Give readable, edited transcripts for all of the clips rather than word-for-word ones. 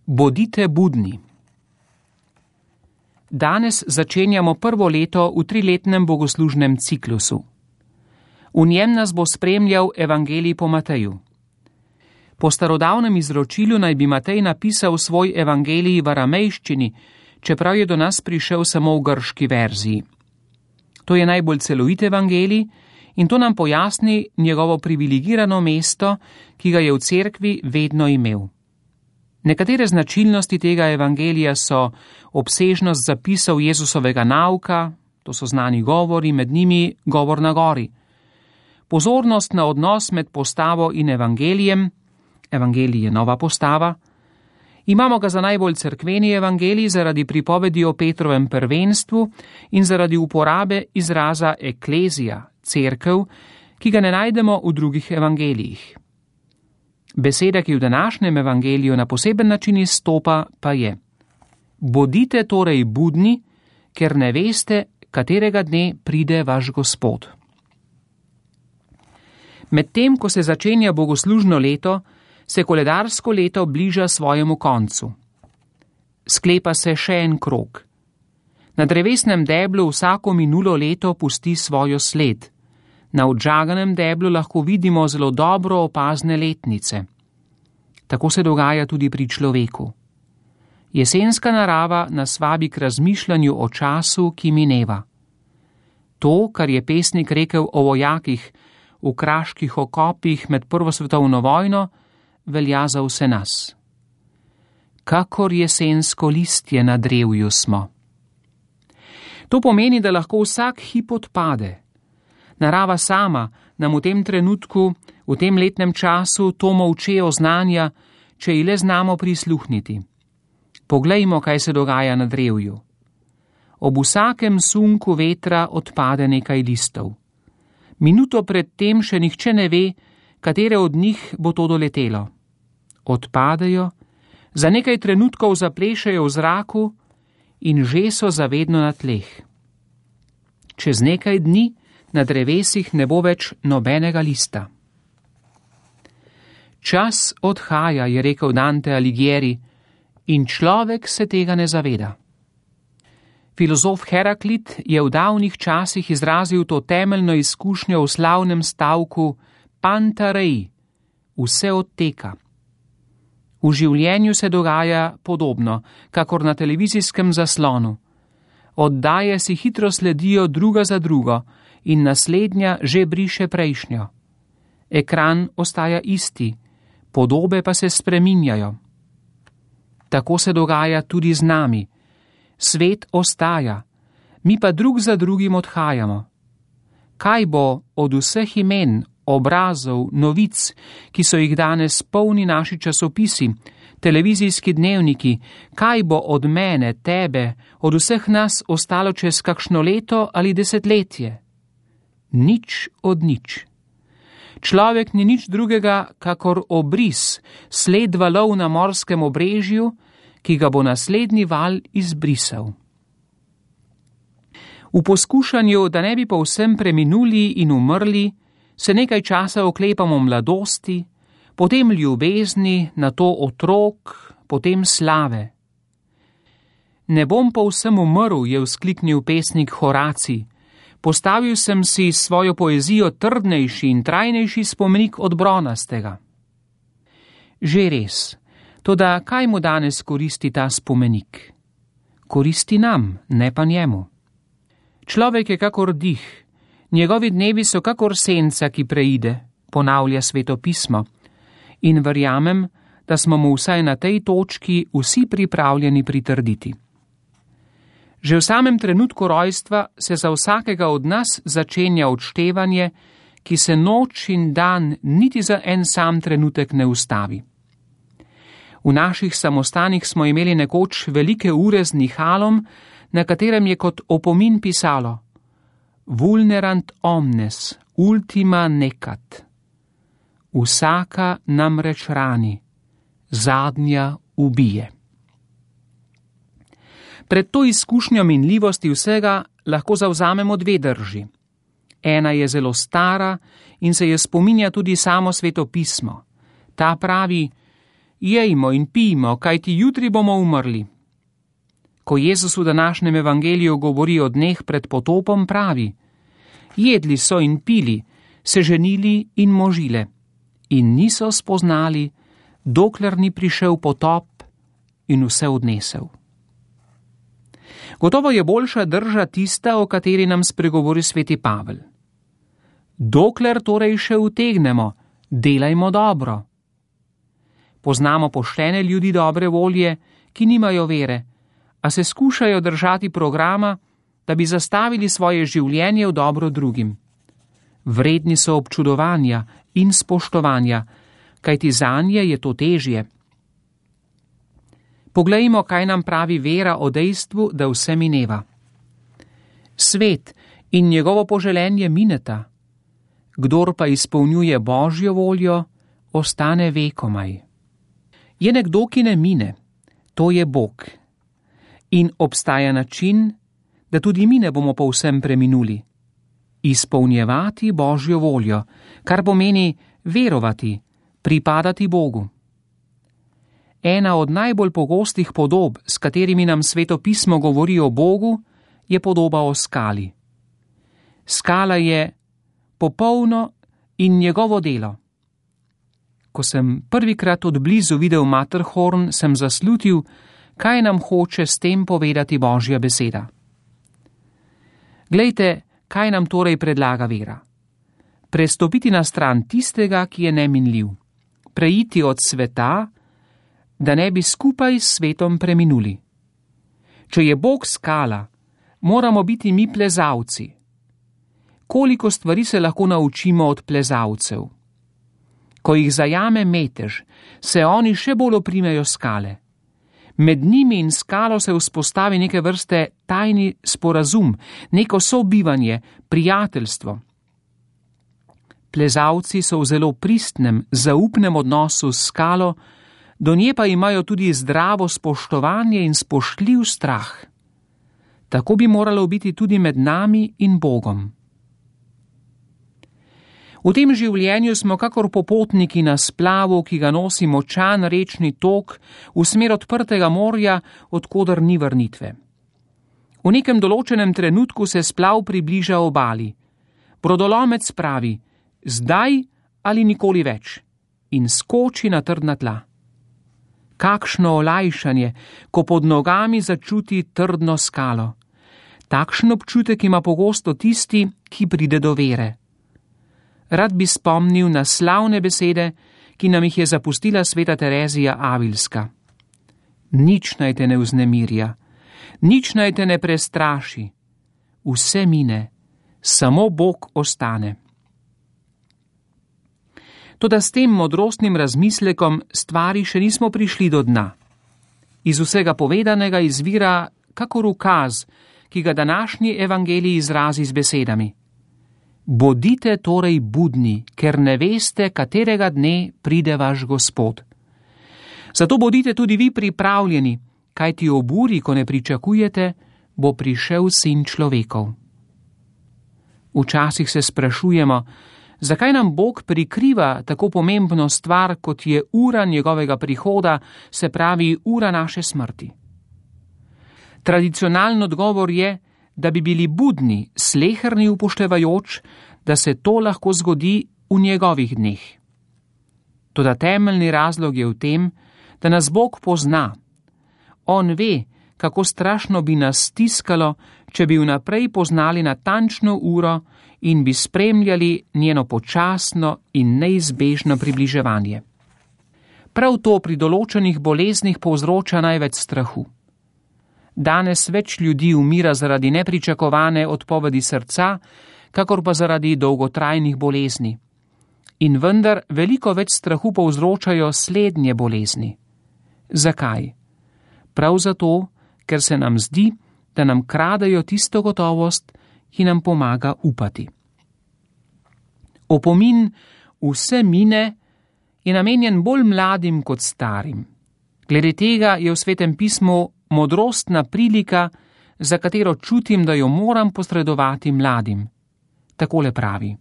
Bodite budni. Danes začenjamo prvo leto v 3-letnem bogoslužnem ciklusu. V njem nas bo spremljal evangelij po Mateju. Po starodavnem izročilu naj bi Matej napisal svoj evangelij v aramejščini, čeprav je do nas prišel samo v grški verziji. To je najbolj celovit evangelij in to nam pojasni njegovo privilegirano mesto, ki ga je v cerkvi vedno imel. Nekatere značilnosti tega evangelija so obsežnost zapisov Jezusovega nauka, to so znani govori, med njimi govor na gori. Pozornost na odnos med postavo in evangelijem, evangelij je nova postava. Imamo ga za najbolj cerkveni evangelij zaradi pripovedi o Petrovem prvenstvu in zaradi uporabe izraza eklezija, cerkev, ki ga ne najdemo v drugih evangelijih. Beseda, ki v današnjem evangeliju na poseben način izstopa, pa je: bodite torej budni, ker ne veste, katerega dne pride vaš Gospod. Medtem, ko se začenja bogoslužno leto, se koledarsko leto bliža svojemu koncu. Sklepa se še en krog. Na drevesnem deblu vsako minulo leto pusti svojo sled. Na odžaganem deblu lahko vidimo zelo dobro opazne letnice. Tako se dogaja tudi pri človeku. Jesenska narava nas vabi k razmišljanju o času, ki mineva. To, kar je pesnik rekel o vojakih v kraških okopih med Prvo svetovno vojno, velja za vse nas. Kakor jesensko listje na drevju smo. To pomeni, da lahko vsak hip odpade. Narava sama nam v tem trenutku, v tem letnem času to molče oznanja, če ji le znamo prisluhniti. Poglejmo, kaj se dogaja na drevju. Ob vsakem sunku vetra odpade nekaj listov. Minuto pred tem še nihče ne ve, katere od njih bo to doletelo. Odpadejo, za nekaj trenutkov zaplešajo v zraku in že so zavedno na tleh. Čez nekaj dni na drevesih ne bo več nobenega lista. Čas odhaja, je rekel Dante Alighieri, in človek se tega ne zaveda. Filozof Heraklit je v davnih časih izrazil to temeljno izkušnjo v slavnem stavku Panta rei, vse odteka. V življenju se dogaja podobno, kakor na televizijskem zaslonu. Oddaje si hitro sledijo druga za drugo in naslednja že briše prejšnjo. Ekran ostaja isti, podobe pa se spreminjajo. Tako se dogaja tudi z nami. Svet ostaja, mi pa drug za drugim odhajamo. Kaj bo od vseh imen, obrazov, novic, ki so jih danes polni naši časopisi, televizijski dnevniki, kaj bo od mene, tebe, od vseh nas ostalo čez kakšno leto ali desetletje? Nič od nič. Človek ni nič drugega, kakor obris, sled valov na morskem obrežju, ki ga bo naslednji val izbrisal. V poskušanju, da ne bi povsem preminuli in umrli, se nekaj časa oklepamo mladosti, potem ljubezni, nato otrok, potem slave. Ne bom povsem umrl, je vzkliknil pesnik Horacij. Postavil sem si svojo poezijo trdnejši in trajnejši spomenik od bronastega. Že res, toda kaj mu danes koristi ta spomenik? Koristi nam, ne pa njemu. Človek je kakor dih, njegovi dnevi so kakor senca, ki preide, ponavlja Sveto pismo, in verjamem, da smo mu vsaj na tej točki vsi pripravljeni pritrditi. Že v samem trenutku rojstva se za vsakega od nas začenja odštevanje, ki se noč in dan niti za en sam trenutek ne ustavi. V naših samostanih smo imeli nekoč velike ure z nihalom, na katerem je kot opomin pisalo: Vulnerant omnes, ultima necat. Vsaka namreč rani, zadnja ubije. Pred to izkušnjo minljivosti vsega lahko zavzamemo dve drži. Ena je zelo stara in se je spominja tudi samo Sveto pismo. Ta pravi: jejmo in pijmo, kajti jutri bomo umrli. Ko Jezus v današnjem evangeliju govori o dneh pred potopom, pravi: jedli so in pili, se ženili in možile, in niso spoznali, dokler ni prišel potop in vse odnesel. Gotovo je boljša drža tista, o kateri nam spregovori sveti Pavel. Dokler torej še utegnemo, delajmo dobro. Poznamo poštene ljudi dobre volje, ki nimajo vere, a se skušajo držati programa, da bi zastavili svoje življenje v dobro drugim. Vredni so občudovanja in spoštovanja, kajti zanje je to težje. Poglejmo, kaj nam pravi vera o dejstvu, da vse mineva. Svet in njegovo poželenje mineta, kdor pa izpolnjuje Božjo voljo, ostane vekomaj. Je nekdo, ki ne mine, to je Bog. In obstaja način, da tudi mi ne bomo povsem preminuli. Izpolnjevati Božjo voljo, kar pomeni verovati, pripadati Bogu. Ena od najbolj pogostih podob, s katerimi nam Sveto pismo govori o Bogu, je podoba o skali. Skala je popolno in njegovo delo. Ko sem prvikrat od blizu videl Matterhorn, sem zaslutil, kaj nam hoče s tem povedati Božja beseda. Glejte, kaj nam torej predlaga vera. Prestopiti na stran tistega, ki je neminljiv. Preiti od sveta, da ne bi skupaj s svetom preminuli. Če je Bog skala, moramo biti mi plezalci. Koliko stvari se lahko naučimo od plezalcev? Ko jih zajame metež, se oni še bolj oprimejo skale. Med njimi in skalo se vzpostavi neke vrste tajni sporazum, neko sobivanje, prijateljstvo. Plezalci so v zelo pristnem, zaupnem odnosu s skalo, do nje pa imajo tudi zdravo spoštovanje in spoštljiv strah. Tako bi moralo biti tudi med nami in Bogom. V tem življenju smo kakor popotniki na splavu, ki ga nosi močan rečni tok v smer odprtega morja, odkoder ni vrnitve. V nekem določenem trenutku se splav približa obali. Brodolomec pravi: zdaj ali nikoli več, in skoči na trdna tla. Kakšno olajšanje, ko pod nogami začuti trdno skalo. Takšen občutek ima pogosto tisti, ki pride do vere. Rad bi spomnil na slavne besede, ki nam jih je zapustila sveta Terezija Avilska. Nič naj te ne vznemirja, nič naj te ne prestraši. Vse mine, samo Bog ostane. Toda s tem modrostnim razmislekom stvari še nismo prišli do dna. Iz vsega povedanega izvira kakor ukaz, ki ga današnji evangelij izrazi z besedami: bodite torej budni, ker ne veste, katerega dne pride vaš Gospod. Zato bodite tudi vi pripravljeni, kajti ob uri, ko ne pričakujete, bo prišel Sin človekov. Včasih se sprašujemo, zakaj nam Bog prikriva tako pomembno stvar, kot je ura njegovega prihoda, se pravi ura naše smrti. Tradicionalni odgovor je, da bi bili budni, sleherni upoštevajoč, da se to lahko zgodi v njegovih dneh. Toda temeljni razlog je v tem, da nas Bog pozna. On ve, kako strašno bi nas stiskalo, če bi vnaprej poznali natančno uro in bi spremljali njeno počasno in neizbežno približevanje. Prav to pri določenih boleznih povzroča največ strahu. Danes več ljudi umira zaradi nepričakovane odpovedi srca, kakor pa zaradi dolgotrajnih bolezni. In vendar veliko več strahu povzročajo slednje bolezni. Zakaj? Prav zato, ker se nam zdi, da nam kradejo tisto gotovost, ki nam pomaga upati. Opomin vse mine je namenjen bolj mladim kot starim. Glede tega je v Svetem pismu modrostna prilika, za katero čutim, da jo moram posredovati mladim. Takole pravi: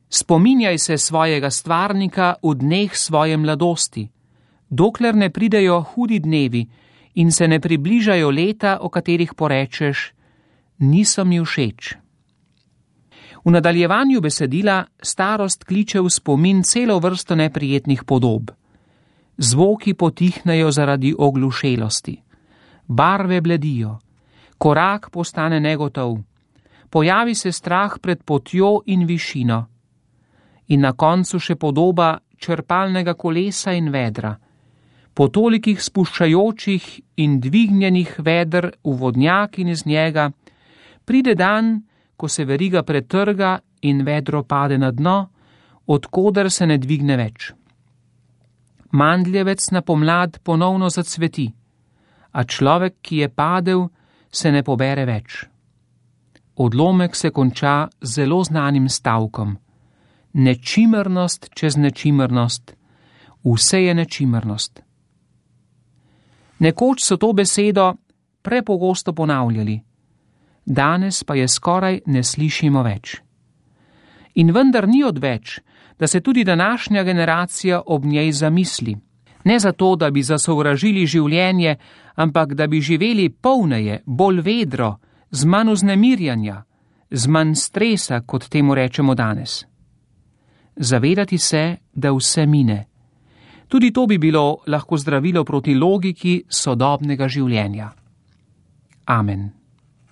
spominjaj se svojega stvarnika v dneh svoje mladosti, dokler ne pridejo hudi dnevi in se ne približajo leta, o katerih porečeš, niso mi všeč. V nadaljevanju besedila starost kliče v spomin celo vrsto neprijetnih podob. Zvoki potihnejo zaradi oglušelosti, barve bledijo, korak postane negotov, pojavi se strah pred potjo in višino. In na koncu še podoba črpalnega kolesa in vedra, po tolikih spuščajočih in dvignjenih veder v vodnjak in iz njega, pride dan, ko se veriga pretrga in vedro pade na dno, odkoder se ne dvigne več. Mandljevec na pomlad ponovno zacveti, a človek, ki je padel, se ne pobere več. Odlomek se konča z zelo znanim stavkom. Nečimernost čez nečimernost, vse je nečimernost. Nekoč so to besedo prepogosto ponavljali, danes pa je skoraj ne slišimo več. In vendar ni odveč, da se tudi današnja generacija ob njej zamisli. Ne zato, da bi zasovražili življenje, ampak da bi živeli polneje, bolj vedro, z manj vznemirjanja, z manj stresa, kot temu rečemo danes. Zavedati se, da vse mine. Tudi to bi bilo lahko zdravilo proti logiki sodobnega življenja. Amen.